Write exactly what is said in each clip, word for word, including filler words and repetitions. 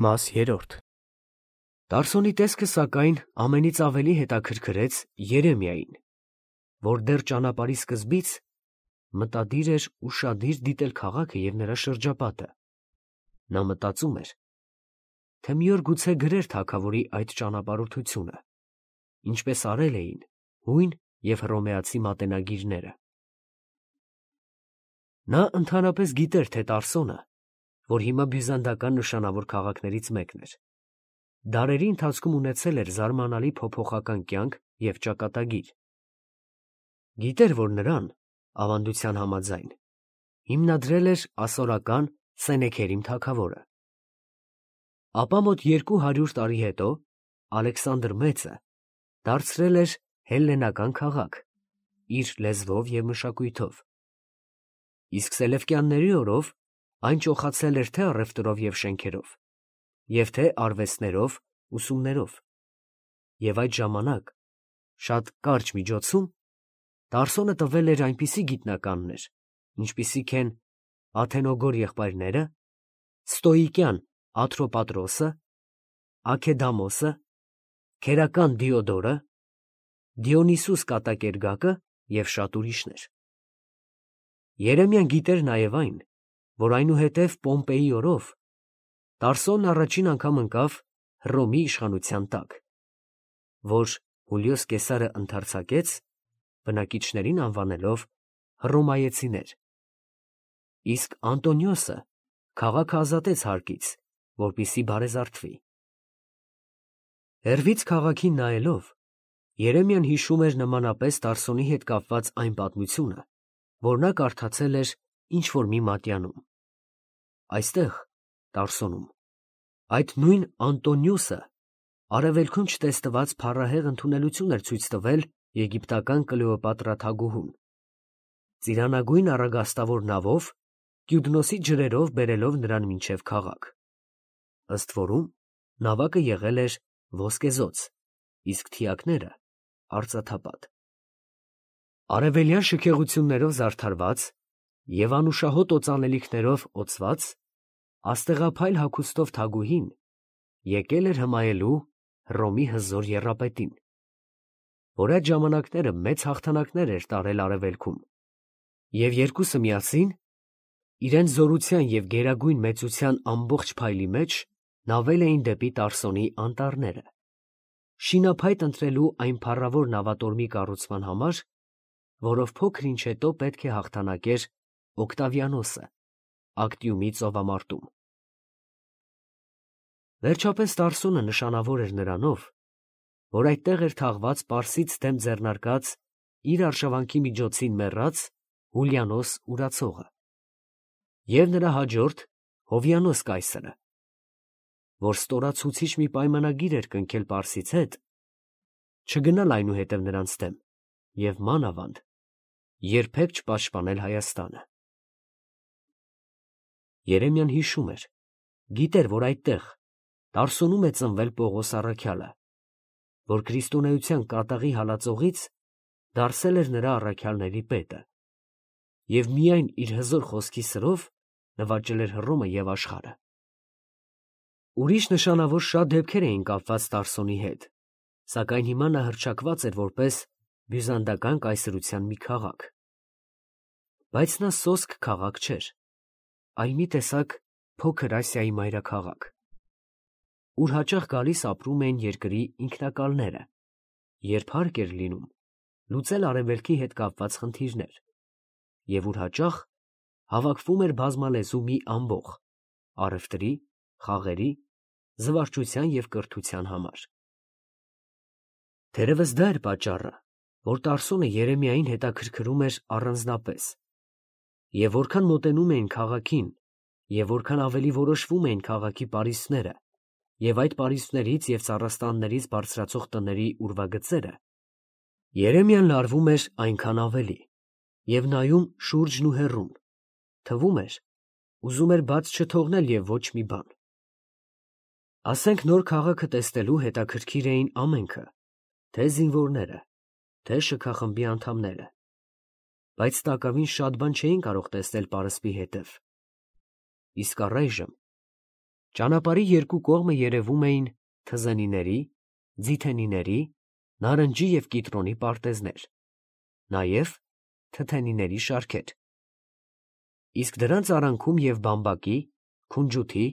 Մաս երրորդ Տարսոնի տեսքը սակայն ամենից ավելի հետաքրքրեց Երեմիային, որ դեռ ճանապարհի սկզբից մտադիր էր ուշադիր դիտել քաղաքը և նրա շրջապատը. նա մտածում էր, թե մի օր գուցե գրեր թագավորի այդ ճանապարհորդությունը, ինչպես արել էին հույն և հռոմեացի մատենագիրները։ Նա ընդհանրապես գիտեր, թե Տարսոնը, որ հիմա բյուզանդական նշանավոր քաղաքներից մեկն էր, դարերի ընթացքում ունեցել էր զարմանալի փոփոխական կյանք և ճակատագիր։ Գիտեր, որ նրան, ավանդության համաձայն, հիմնադրել էր ասորական Սենեքերիմ թագավորը։ Ապա մոտ երկու հարյուր տարի հետո Ալեքսանդր Մեծը դարձրել էր հելլենական քաղաք իր լեզվով և մշակույթով, իսկ Սելևկյանների օրով այն ճոխացել էր թե առևտրով և շենքերով, և թե արվեստներով, ուսումներով, և այդ ժամանակ, շատ կարճ միջոցում, Տարսոնը տվել էր այնպիսի գիտնականներ, ինչպիսիք են Աթենոգոր եղբայրները, ստոիկյան Աթրոպատրոսը, Աքեդամոսը, քերական Դիոդորը, Դիոնիսուս Կատակերգակը և շատ ուրիշներ։ Երեմիան գիտեր նաև այն, որ այնուհետև Պոմպեյի օրով Տարսոնն առաջին անգամ ընկավ Հռոմի իշխանության տակ, որ Հուլիոս Կեսարը ընդարձակեց, բնակիչներին անվանելով հռոմայեցիներ, իսկ Անտոնիոսը քաղաքը ազատեց հարկից, որպեսզի բարեզարդվի։ Հեռվից քաղաքին նայելով, Երեմիան հիշում էր նմանապես Տարսոնի հետ կապված այն պատմությունը, որ նա կարդացել էր ինչ-որ մի մատյանում։ Այստեղ, Տարսոնում, այդ նույն Անտոնիոսը արևելքում չտեսնված փառահեղ ընդունելություն էր ցույց տվել եգիպտական Կլեոպատրա թագուհուն, ծիրանագույն առագաստավոր նավով Կյուդնոսի ջրերով բերելով նրան մինչև քաղաք։ Ըստ որում, նավակը եղել էր ոսկեզօծ, իսկ թիակները՝ արծաթապատ։ Արևելյան շքեղություններով զարդարված և անուշահոտ օծանելիքներով օծված, աստեղափայլ հագուստով թագուհին եկել էր հմայելու Հռոմի հզոր եռապետին, որ այդ ժամանակները մեծ հաղթանակներ էր տարել արևելքում, և երկուսը միասին, իրենց զորության և գերագույն մեծության ամբողջ փայլի մեջ, նավել էին դեպի Տարսոնի անտառները, շինափայտ ընտրելու այն փառավոր նավատորմի կառուցման համար, որով փոքր ինչ հետո պետք է հաղթանակեր Օկտավիանոսը Ակտիումի ծովամարտում։ Վերջապես Տարսոնը նշանավոր էր նրանով, որ այդտեղ էր թաղված պարսից դեմ ձեռնարկած իր արշավանքի միջոցին մեռած Հուլիանոս Ուրացողը և նրա հաջորդ Հովիանոս կայսրը, որ ստորացուցիչ մի պայմանագիր էր կնքել պարսից հետ, չգնալ այնուհետև նրանց դեմ և մանավանդ երբեք չպաշտպանել Հայաստանը։ Երեմիան հիշում էր, գիտեր, որ այդտեղ, Տարսոնում է ծնվել Պողոս առաքյալը, որ քրիստոնեության կատաղի հալածողից դարձել էր նրա առաքյալների պետը և միայն իր հզոր խոսքի սրով նվաճել էր Հռոմը և աշխարհը։ Ուրիշ նշանավոր շատ դեպքեր էին կապված Տարսոնի հետ, սակայն հիմա նա հռչակված էր որպես բյուզանդական կայսրության մի քաղաք։ Բայց նա սոսկ քաղաք չէր, այլ մի տեսակ Փոքր Ասիայի մայրաքաղաք, ուր հաճախ գալիս ապրում էին երկրի ինքնակալները, երբ հարկ էր լինում լուծել արևելքի հետ կապված խնդիրներ, և ուր հաճախ հավաքվում էր բազմալեզու մի ամբոխ առևտրի, խաղերի, զվարճության և կրթության համար։ Թերևս դա էր պատճառը, որ Տարսոնը Երեմիային հետաքրքրում էր առանձնապես, և որքան մոտենում էին քաղաքին և որքան ավելի որոշվում էին քաղաքի պարիսպները և այդ պարիսպներից և ծառաստաններից բարձրացող տների ուրվագծերը, Երեմիան լարվում էր այնքան ավելի և նայում շուրջն ու հեռուն, թվում էր, ուզում էր բաց չթողնել և ոչ մի բան։ Ասենք նոր քաղաքը տեսնելու հետաքրքիր էին ամենքը, թե զինվորները, թե շքախմբի անդամները, բայց տակավին շատ բան չէին կարող տեսնել պարսպի հետև, իսկ առայժմ Ճանապարհի երկու կողմը երևում էին թզենիների, ձիթենիների, նարնջի և կիտրոնի պարտեզներ, նաև թթենիների շարքեր, իսկ դրանց արանքում և բամբակի, քունջութի,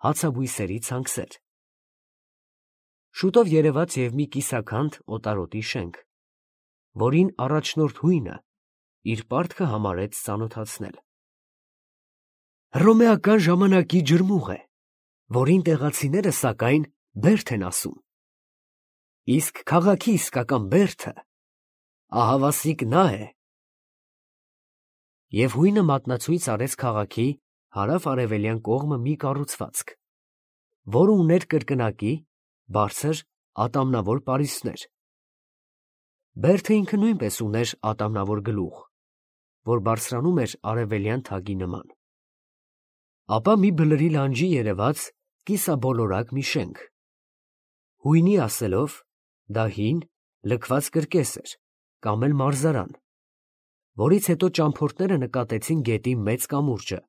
հացաբույսերի ցանքսեր։ Շուտով երևաց և մի կիսաքանդ օտարոտի շենք, որին առաջնորդ հույնը իր պարտքը համարեց ծանոթացնել։ Հռոմեական ժամանակի ջրմուղ է, որին տեղացիները սակայն բերդ են ասում, իսկ քաղաքի իսկական բերդը ահավասիկ նա է։ Եվ հույնը մատնացույց արեց քաղաքի հարավ֊արևելյան կողմը մի կառուցվածք, որը ուներ կրկնակի, բարձր, ատամնավոր պարիսպներ։ Բերդը ինքը նույնպես ուներ ատամնավոր գլուխ, որ բարձրանում էր արևելյան թագի նման։ Ապա մի բլրի լանջի երևաց կիսաբոլորակ մի շենք։ Հույնի ասելով, դա հին, լքված կրկես էր, կամ էլ մարզարան, որից հետո ճամփորդները նկատեցին գետի մեծ կամուրջը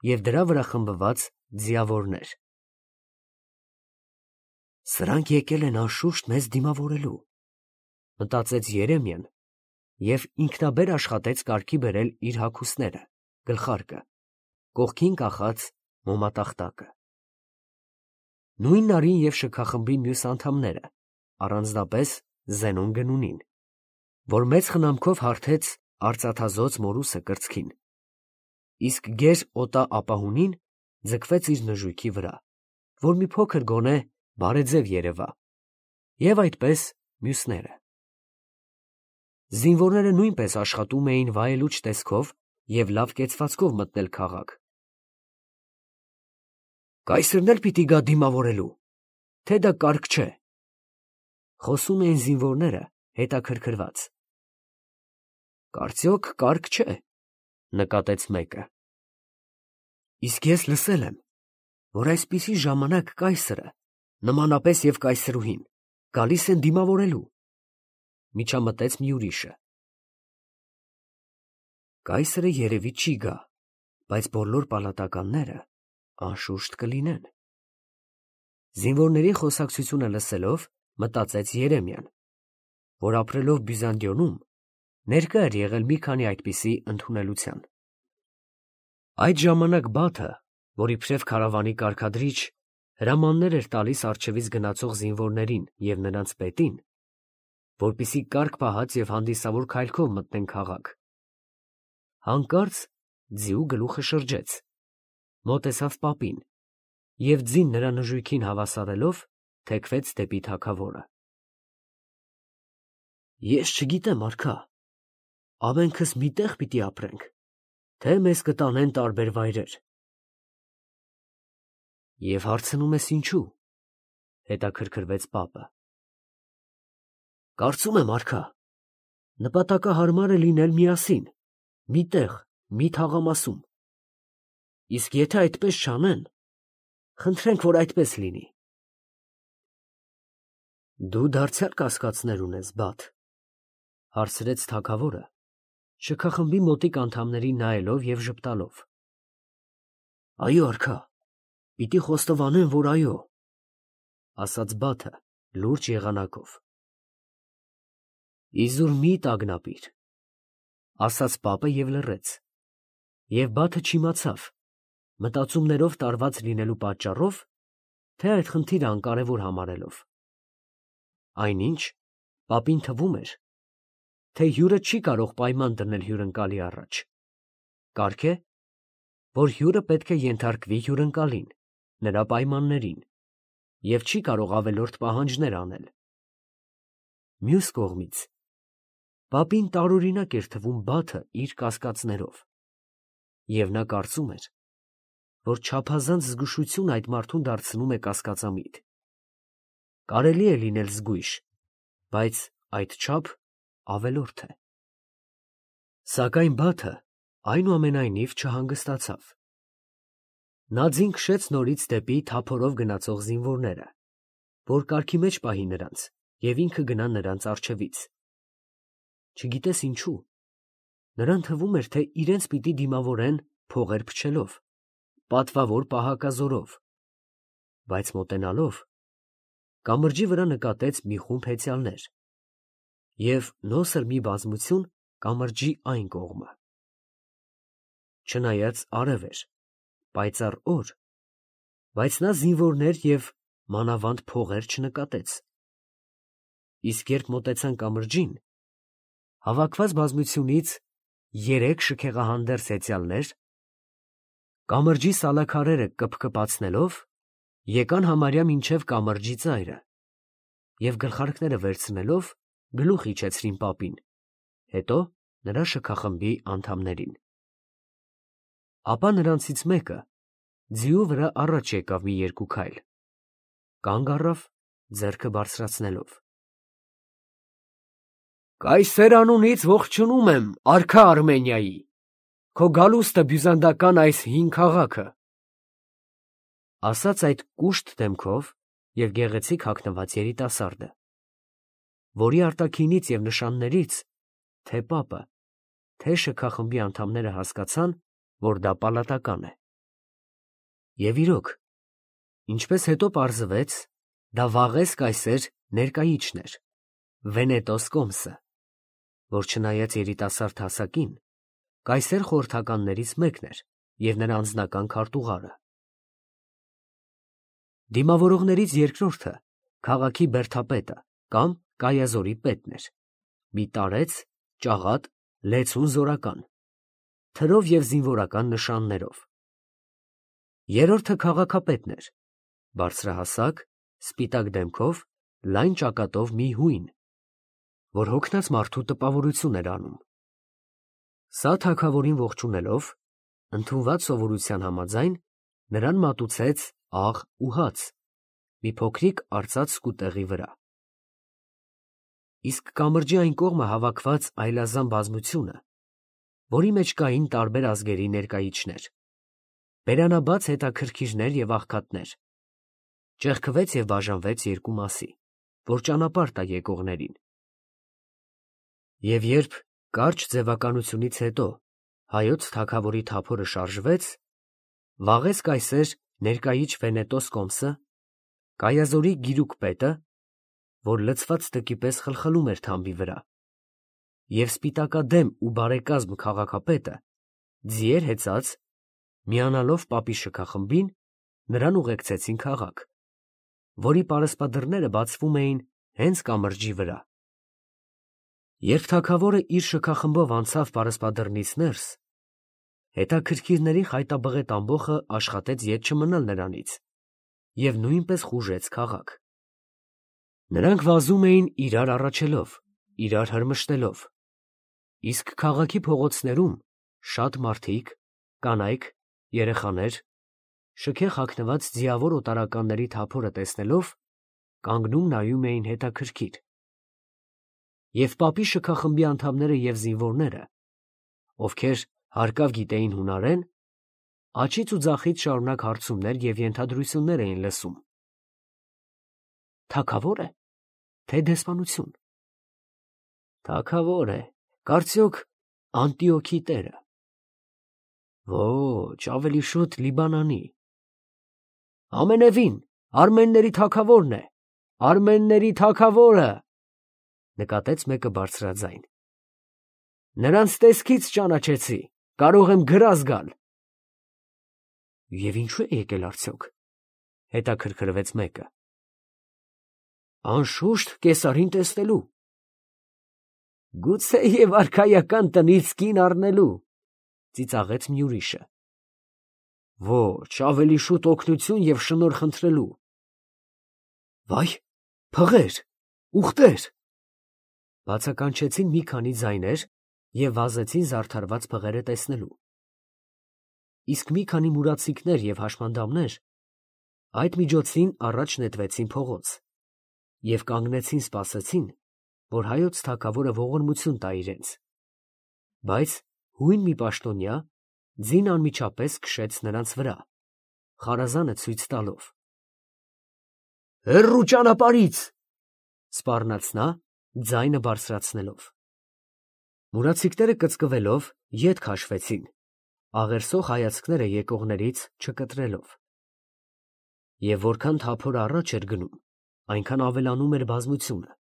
և դրա վրա խմբված ձիավորներ։ «Սրանք եկել են անշուշտ մեզ դիմավորելու», մտածեց Երեմիան և ինքնաբեր աշխատեց կարգի բերել իր հագուստները, գլխարկը, կողքին կախած մոմատախտակը։ Նույն нарին և շքախմբի մյուս անդամները, առանձնապես Զենոն Գնունին, որ մեծ խնամքով հարթեց արծաթազօծ մորուսը կրծքին, իսկ գեր օտա ապահունին ձգվեց իր նժույգի վրա, որ մի փոքր գոնե բարեձև երևա, և այդպես մյուսները։ Զինվորները նույնպես աշխատում էին վայելուչ տեսքով և լավ կեցվածքով մտնել քաղաք։ «Կայսրն էլ պիտի գա դիմավորելու, թե դա կարիք չէ», խոսում էին զինվորները հետաքրքրված։ «Կարծյոք կարիք չէ», նկատեց մեկը։ «Իսկ ես լսել եմ, որ այսպիսի ժամանակ կայսրը, նմանապես և կայսրուհին, գալիս են դիմավորելու», միջամտեց մի ուրիշը։ «Կայսրը երևի չի գա, բայց բոլոր պալատականները անշուշտ կլինեն», զինվորների խոսակցությունը լսելով, մտածեց Երեմիան, որ ապրելով Բյուզանդիոնում ներկա էր եղել մի քանի այդպիսի ընդունելության։ Այդ ժամանակ Բաթը, որ իբրև քարավանի կարգադրիչ, հրամաններ էր տալիս առջևից գնացող զինվորներին և նրանց պետին, որպեսզի կարգ պահած և հանդիսավոր քայլքով մտնեն քաղաք, հանկարծ ձիու գլուխը շրջեց, մոտեցավ պապին և ձին նրա նժույգին հավասարելով, թեքվեց դեպի թագավորը։ «Ես չգիտեմ, արքա, ամենքս մի տեղ պիտի ապրենք, թե մեզ կտանեն տարբեր վայրեր»։ «Եվ հարցնում ես ինչո՞ւ», հետաքրքրվեց պապը։ «Կարծում եմ, արքա, նպատակահարմար է լինել միասին, մի տեղ, մի թաղամասում, իսկ եթե այդպես չանեն, խնդրենք, որ այդպես լինի»։ «Դու դարձյալ կասկածներ ունես, Բաթ», հարցրեց թագավորը, շքախմբի մոտիկ անդամներին նայելով և ժպտալով։ «Այո, արքա, պիտի խոստովանեմ, որ այո», ասաց Բաթը լուրջ եղանակով։ «Իզուր մի տագնապիր», ասաց պապը և լռեց, և Բաթը չիմացավ, մտածումներով տարված լինելու պատճառով, թե այդ խնդիրը անկարևոր համարելով։ Այնինչ պապին թվում էր, թե հյուրը չի կարող պայման դնել հյուրընկալի առաջ, կարք է, որ հյուրը պետք է ենթարկվի հյուրընկալին, նրա պայմաններին, և չի կարող ավելորդ պահանջներ անել։ Մյուս կողմից, պապին տարօրինակ էր թվում Բաթը իր կասկածներով, և նա կարծում էր, որ չափազանց զգուշություն այդ մարդուն դարձնում է կասկածամիտ։ Կարելի է լինել զգույշ, բայց այդչափ ավելորդ է։ Սակայն Բաթը այնուամենայնիվ չհանգստացավ։ Նա ձին քշեց նորից դեպի թափորով գնացող զինվորները, որ կարգի մեջ պահի նրանց և ինքը գնա նրանց առջևից։ Չգիտես ինչու, նրան թվում էր, թե իրենց պիտի դիմավորեն փողեր փչելով, պատվավոր պահակազորով, բայց մոտենալով կամրջի վրա նկատեց մի խումբ հեծյալներ և նոսր մի բազմություն կամրջի այն կողմը։ Չնայած արև էր, պայծառ օր, բայց նա զինվորներ և մանավանդ փողեր չնկատեց։ Իսկ երբ մոտեցան կամրջին, հավաքված բազմությունից երեք շքեղահանդերձ հեծյալներ, կամրջի սալաքարերը կպկպացնելով, եկան համարյա մինչև կամրջի ծայրը և գլխարկները վերցնելով գլուխ իջեցրին պապին, հետո նրա շքախմբի անդամներին։ Ապա նրանցից մեկը ձիու վրա առաջ եկավ մի երկու քայլ, կանգ առավ, ձեռքը բարձրացնելով. «Կայսեր անունից ողջունում եմ, արքա Արմենիայի, քո գալուստը բյուզանդական այս հին քաղաքը»։ Ասաց այդ կուշտ դեմքով և գեղեցիկ հագնված երիտասարդը, որի արտաքինից և նշաններից թե՛ պապը, թե՛ շքախմբի անդամները հասկացան, որ դա պալատական է։ Եվ իրոք, ինչպես հետո պարզվեց, դա Վաղես կայսեր ներկայիչն էր, Վենետոս կոմսը, որ չնայած երիտասարդ հասակին, կայսեր խորհրդականներից մեկն էր և նրա անձնական քարտուղարը։ Դիմավորողներից երկրորդը քաղաքի բերդապետը կամ կայազորի պետն էր, մի տարեց, ճաղատ, լեցուն զորական, թրով և զինվորական նշաններով։ Երրորդը քաղաքապետն էր, բարձրահասակ, սպիտակ դեմքով, լայն ճակատով մի հույն, որ հոգնած մարդու տպավորություն էր անում։ Սա թագավորին ողջունելով, ընդունված սովորության համաձայն, նրան մատուցեց աղ ու հաց մի փոքրիկ արծաթ սկուտեղի վրա։ Իսկ կամրջի այն կողմը հավաքված այլազան բազմությունը, որի մեջ կային տարբեր ազգերի ներկայիչներ, բերանաբաց հետաքրքիրներ և աղքատներ, ճեղքվեց և բաժանվեց երկու մասի, որ ճանապարհ տա եկողներին։ Եվ երբ կարճ ձևականությունից հետո հայոց թագավորի թափորը շարժվեց, Վաղես կայսեր ներկայիչ Վենետոս կոմսը, կայազորի գիրուկ պետը, որ լցված տկի պես խլխլում էր թամբի վրա, և սպիտակադեմ ու բարեկազմ քաղաքապետը, ձիեր հեծած, միանալով պապի շքախմբին, նրան ուղեկցեցին քաղաք, որի պարսպադռները բացվում էին հենց կամրջի վրա։ Երբ թագավորը իր շքախմբով անցավ պարսպադռնից ներս, հետաքրքիրների խայտաբղետ ամբոխը աշխատեց ետ չմնալ նրանից և նույնպես խուժեց քաղաք։ Նրանք վազում էին իրար առաջելով, իրար հրմշտելով, իսկ քաղաքի փողոցներում շատ մարդիկ, կանայք, երեխաներ, շքեղ հագնված ձիավոր օտարականների թափորը տեսնելով, կանգնում նայում էին հետաքրքիր։ Եվ պապի շքախմբի անդամները և զինվորները, ովքեր հարկավ գիտեին հունարեն, աջից ու ձախից շարունակ հարցումներ և ենթադրություններ էին լսում. թագավո՞ր է, թե դեսպանություն. թագավոր է, կարծյոք Անտիոքի տերը. ոչ, ավելի շուտ Լիբանանի. ամենևին արմենների թագավորն է, արմենների թագավորը, նկատեց մեկը բարձրաձայն. նրանց տեսքից ճանաչեցի, կարող եմ գրազ գալ։ Եվ ինչո՞ւ է եկել արդյոք, հետաքրքրվեց մեկը։ Անշուշտ կեսարին տեսնելու։ Գուցեև արքայական տնից կին առնելու, ծիծաղեց մի ուրիշը։ Ոչ, ավելի շուտ օգնություն և շնորհ խնդրելու։ Վայ, փղեր, ուղտեր, բացականչեցին մի քանի ձայներ և վազեցին զարդարված փղերը տեսնելու։ Իսկ մի քանի մուրացիկներ և հաշմանդամներ այդ միջոցին առաջ նետվեցին փողոց և կանգնեցին սպասեցին, որ հայոց թագավորը ողորմություն տա իրենց, բայց հույն մի պաշտոնյա ձին անմիջապես քշեց նրանց վրա, խարազանը ցույց տալով. «Հեռու ճանապարհից», սպառնաց նա, ձայնը բարձրացնելով։ Մուրացիկները կծկվելով ետ քաշվեցին, աղերսող հայացքները եկողներից չկտրելով։ Եվ որքան թափորը առաջ էր գնում, այնքան ավելանում էր բազմությունը,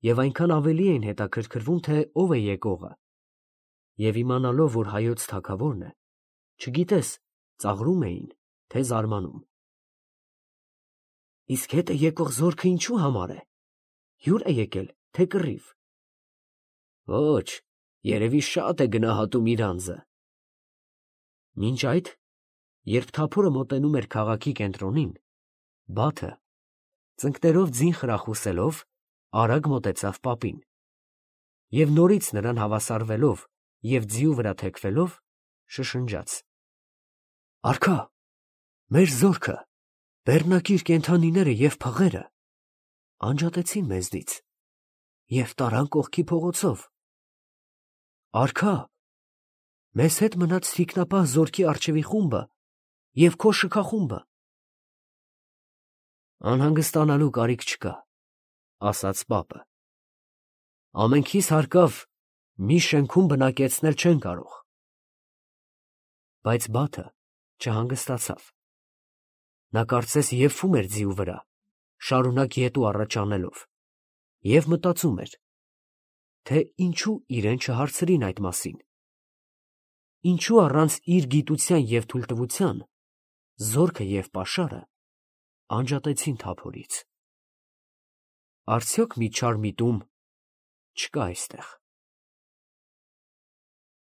և այնքան ավելի էին հետաքրքրվում, թե ով է եկողը, և իմանալով, որ հայոց թագավորն է, չգիտես, ծաղրում էին, թե զարմանում։ Իսկ հետ է եկող զորքը ինչու համար է, հյուր է եկել, թե կռիվ։ Ոչ, երևի շատ է գնահատում իր անձը։ Մինչ այդ, երբ թափորը մոտենում էր քաղաքի կենտրոնին, Բաթը, ծնկներով ձին խրախուսելով, արագ մոտեցավ պապին, և նորից նրան հավասարվելով և ձիու վրա թեքվելով, շշնջաց. «Արքա, մեր զորքը, բեռնակիր կենդանիները և փղերը անջատեցին մեզնից և տարան կողքի փողոցով։ Արքա, մեզ հետ մնաց թիկնապահ զորքի առջևի խումբը և քո շքախումբը»։ «Անհանգստանալու կարիք չկա, ֊ ասաց պապը, ֊ ամենքիս հարկավ մի շենքում բնակեցնել չեն կարող»։ Բայց Բաթը չհանգստացավ. նա կարծես եփվում էր ձիու վրա, շարունակ ետ ու առաջ անելով, և մտածում էր, թե ինչո՞ւ իրեն չհարցրին այդ մասին. ինչո՞ւ առանց իր գիտության և թույլտվության զորքը և պաշարը անջատեցին թափորից։ Արդյոք մի չար միտում չկա այստեղ։